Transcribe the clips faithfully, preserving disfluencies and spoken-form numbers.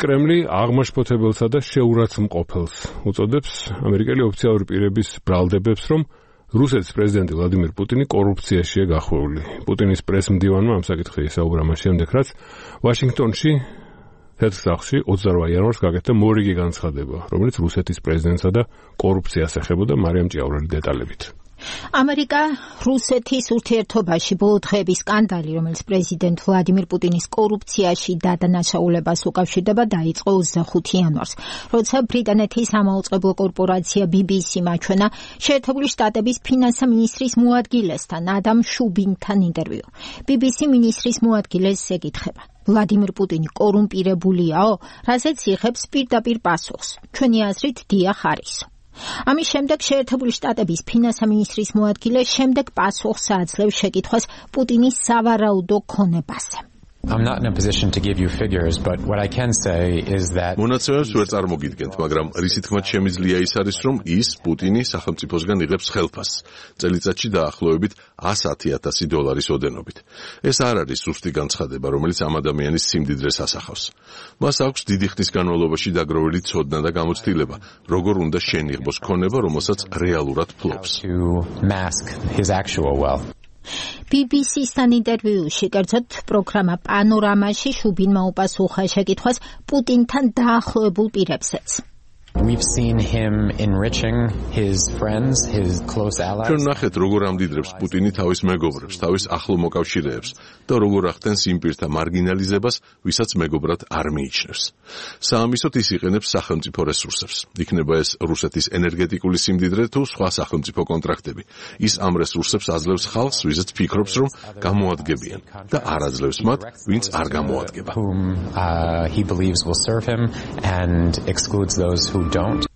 კრემლი აღმაშფოთებელსა და შეურაცხმყოფელს უწოდებს ამერიკელი ოფიციალური პირების ბრალდებებს, რომ რუსეთის პრეზიდენტი ვლადიმირ პუტინი კორუფციაშია გახვეული. პუტინის პრესმდივანმა ამ საკითხზე ისაუბრა მას შემდეგ, რაც ვაშინგტონში თეთრ სახლში ოცდაოთხ იანვარს გაკეთდა მორიგი განცხადება, რომელიც რუსეთის პრეზიდენტსა და კორუფციას ეხებოდა. მარიამ ჭიაურელი დეტალებით. ამერიკა რუსეთის ურთიერთობაში ბოლო დღეების სკანდალი, რომელიც პრეზიდენტ ვლადიმირ პუტინის კორუფციაში და დანაშაულებას უკავშირდება, დაიწყო ოცდახუთი იანვარს, როცა ბრიტანეთის ამაუწყებლო კორპორაცია ბი ბი სი მაჩვენა შეერთებული შტატების ფინანსთა მინისტრის მოადგილესთან ადამ შუბინთან ინტერვიუ. ბი ბი სი მინისტრის მოადგილეს ეკითხება: ვლადიმირ პუტინი კორუმპირებულიაო, რასაც იღებს პირდაპირ პასუხს? ჩვენი აზრით, დიახ, არის. ამის შემდეგ შეერთებული შტატების ფინანსთა მინისტრის მოადგილე შემდეგ პასუხს აძლევს შეკითხვას პუტინის სავარაუდო ქონებაზე. I'm not in a position to give you figures, but what I can say is that მონაცემებს ვერ წარმოგიდგენთ, მაგრამ რისი თქმაც შემიძლია ის არის, რომ ის პუტინი სახელმწიფოსგან იღებს ხელფასს, წელიწადში დაახლოებით ასი ათასი დოლარის ოდენობით. ეს არ არის ზუსტი განცხადება, რომელიც ამ ადამიანის სიმდიდრეს ასახავს. მას აქვს დიდი ხნის განმავლობაში დაგროვილი ცოდნა და გამოცდილება, როგორ უნდა შენიღბოს ქონება, რომელსაც რეალურად ფლობს. ბი ბი სი-სთან ინტერვიუში, კერძოდ პროგრამა პანორამაში, შუბინმა უპასუხა შეკითხვას პუტინთან დაახლოებულ პირებსაც. We've seen him enriching his friends, his close allies. ჩვენ ნახეთ, როგორ ამდიდრებს პუტინი თავის მეგობრებს, თავის ახლო მოკავშირეებს და როგორ ახდენს იმ პირთა მარგინალიზებას, ვისაც მეგობრად არ მიიჩნევს. საამისოდ ის იყენებს სახელმწიფო რესურსებს. იქნება ეს რუსეთის ენერგეტიკული სიმდიდრე თუ სხვა სახელმწიფო კონტრაქტები. ის ამ რესურსებს აძლევს ხალხს, ვიზაც ფიქრობს, რომ გამოადგებიან და არ აძლევს მათ, ვინც არ გამოადგება. Whom uh, he believes will serve him and excludes those who don't.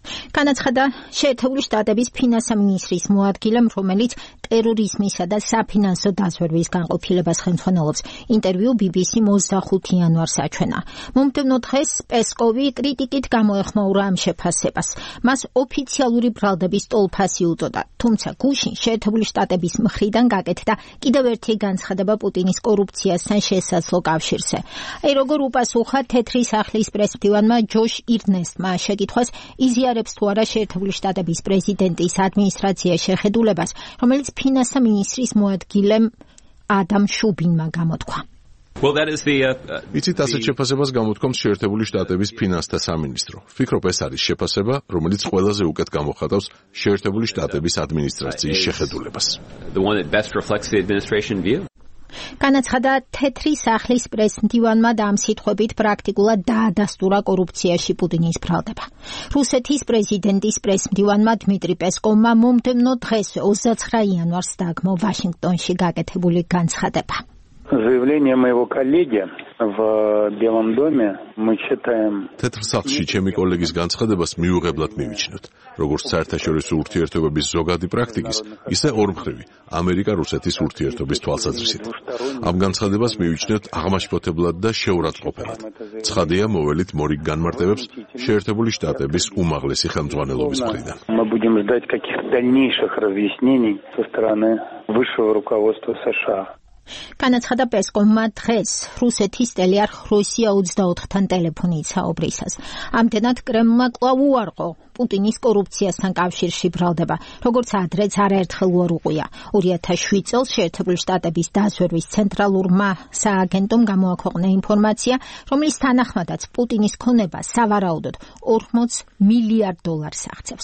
განაცხადა შეერთებული შტატების ფინანსთა მინისტრის მოადგილემ, რომელიც ტერორიზმისა და საფინანსო დაზვერვის განყოფილებას ხელმძღვანელობს. ინტერვიუ ბი ბი სი-მ ოცდახუთი იანვარს აჩვენა. მომდევნო დღეს პესკოვი კრიტიკით გამოეხმაურა ამ შეფასებას. მას ოფიციალური ბრალდების ტოლფასი უწოდა, თუმცა გუშინ შეერთებული შტატების მხრიდან გაკეთდა კიდევ ერთი განცხადება პუტინის კორუფციასთან შესაძლო კავშირზე. აი როგორ უპასუხა თეთრი სახლის პრესმდივანმა ჯოშ ირნესტმა შეკითხვას, იზიარებს თუ არა შეერთებული შტატების პრეზიდენტის ადმინისტრაციის შეხედულებას, რომელიც ფინანსთა მინისტრის მოადგილემ ადამ შუბინმა გამოთქვა. Well, that is the იცით, ასეთ შეფასებას გამოთქვამს შეერთებული შტატების ფინანსთა სამინისტრო. ვფიქრობ, ეს არის შეფასება, რომელიც ყველაზე უკეთ გამოხატავს შეერთებული შტატების ადმინისტრაციის შეხედულებას. The one that best reflects the administration view. განაცხადა თეთრი სახლის პრესმდივანმა და ამ სიტყვებით პრაქტიკულად დაადასტურა კორუფციაში პუტინის ბრალდება. რუსეთის პრეზიდენტის პრესმდივანმა დმიტრი პესკოვმა მომდევნო დღეს ოცდაცხრა იანვარს დაგმო ვაშინგტონში გაკეთებული განცხადება. Заявление моего коллеги в Белом доме мы считаем. თეთრ სახლში ჩემი კოლეგის განცხადებას მიუღებლად მივიჩნევთ, როგორც საერთაშორისო ურთიერთობების ზოგადი პრაქტიკის, ისე ორმხრივი ამერიკა-რუსეთის ურთიერთობის თვალსაზრისით. ამ განცხადებას მივიჩნევთ აღმაშფოთებლად და შეურაცხმყოფელად. ცხადია, მოველით მორიგ განმარტებებს შეერთებული შტატების უმაღლესი ხელმძღვანელობის მხრიდან. Мы будем ждать каких-то дальнейших разъяснений со стороны высшего руководства США. განაცხადა პესკოვმა დღეს რუსეთის ტელეარხ როსია ოცდაოთხთან ტელეფონით საუბრისას. ამდენად კრემლმა კვლავ უარყო პუტინის კორუფციასთან კავშირში ბრალდება, როგორც ადრეც არაერთხელ უარუყია. ორი ათას შვიდ წელს შეერთებული შტატების დაზვერვის ცენტრალურმა სააგენტომ გამოაქვეყნა ინფორმაცია, რომლის თანახმადაც პუტინის ქონება სავარაუდოდ ორმოც მილიარდ დოლარს აღწევს.